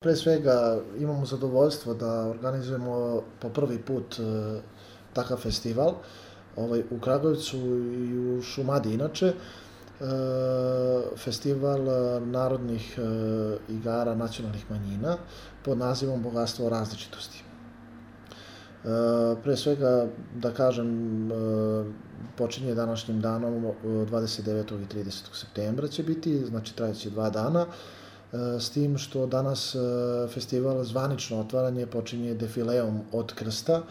Pre svega imamo zadovoljstvo da organizujemo po prvi put takav festival u Kragujevcu i u Šumadiji inače. Festival narodnih igara nacionalnih manjina pod nazivom Bogatstvo različitosti. Pre svega, da kažem, počinje današnjim danom 29. i 30. septembra će biti, znači trajeće 2 dana, s tim što danas festival zvanično otvaranje počinje defileom od Krsta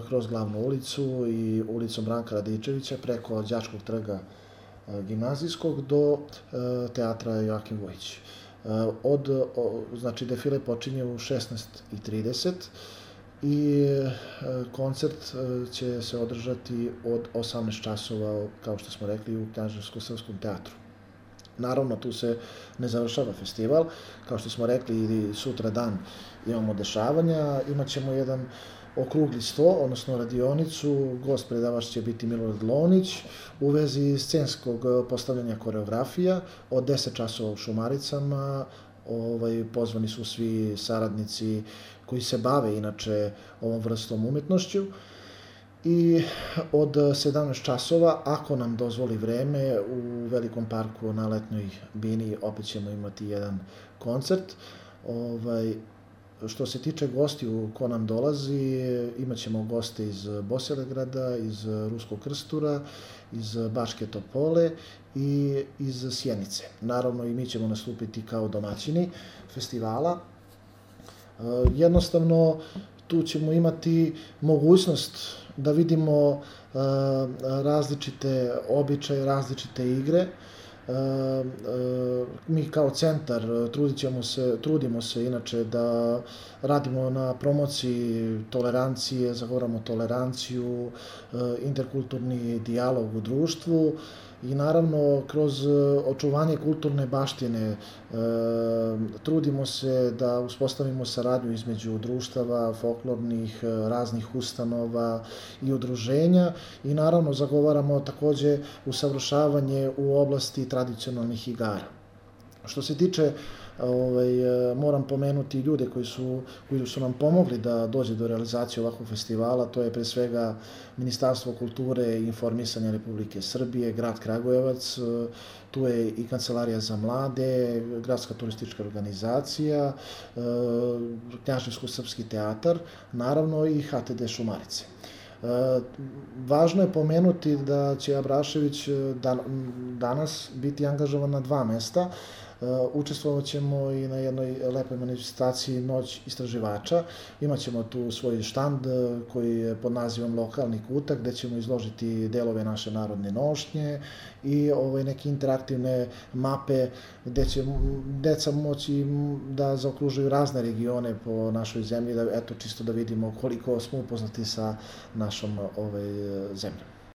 kroz glavnu ulicu i ulicom Branka Radičevića preko Đačkog trga gimnazijskog do teatra Joakim Vujić. Znači, defile počinje u 16:30 i koncert će se održati od 18 časova, kao što smo rekli, u Knjaževsko-srpskom teatru. Naravno, tu se ne završava festival. Kao što smo rekli, i sutra dan imamo dešavanja. Imaćemo jedan okrugli sto, odnosno radionicu. Gost predavač će biti Milorad Lonić u vezi scenskog postavljanja koreografija od 10 časova u Šumaricama. Pozvani su svi saradnici koji se bave inače ovom vrstom umetnošću. I od 17 časova, ako nam dozvoli vreme, u Velikom parku na Letnjoj bini opet ćemo imati jedan koncert. Što se tiče gostiju ko nam dolazi, imat ćemo goste iz Bosilegrada, iz Ruskog Krstura, iz Bačke Topole i iz Sjenice. Naravno, i mi ćemo nastupiti kao domaćini festivala. Jednostavno, tu ćemo imati mogućnost da vidimo različite običaje, različite igre. Mi kao centar trudimo se inače da radimo na promociji tolerancije, zagovaramo toleranciju, interkulturni dijalog u društvu i naravno kroz očuvanje kulturne baštine trudimo se da uspostavimo saradnju između društava, folklornih, raznih ustanova i udruženja i naravno zagovaramo takođe usavršavanje u oblasti tradicionalnih igara. Što se tiče, moram pomenuti ljude koji su nam pomogli da dođe do realizacije ovakvog festivala, to je pre svega Ministarstvo kulture i informisanja Republike Srbije, grad Kragujevac, tu je i Kancelarija za mlade, Gradska turistička organizacija, Knjaževsko-srpski teatar, naravno i HTD Šumarice. Važno je pomenuti da će Abrašević danas biti angažovan na 2 mesta. Učestvovat ćemo i na jednoj lepoj manifestaciji Noć istraživača. Imaćemo tu svoj štand koji je pod nazivom Lokalni kutak, gde ćemo izložiti delove naše narodne nošnje i neke interaktivne mape gde će deca moći da zaokružuju razne regione po našoj zemlji, čisto da vidimo koliko smo upoznati sa našom zemljom.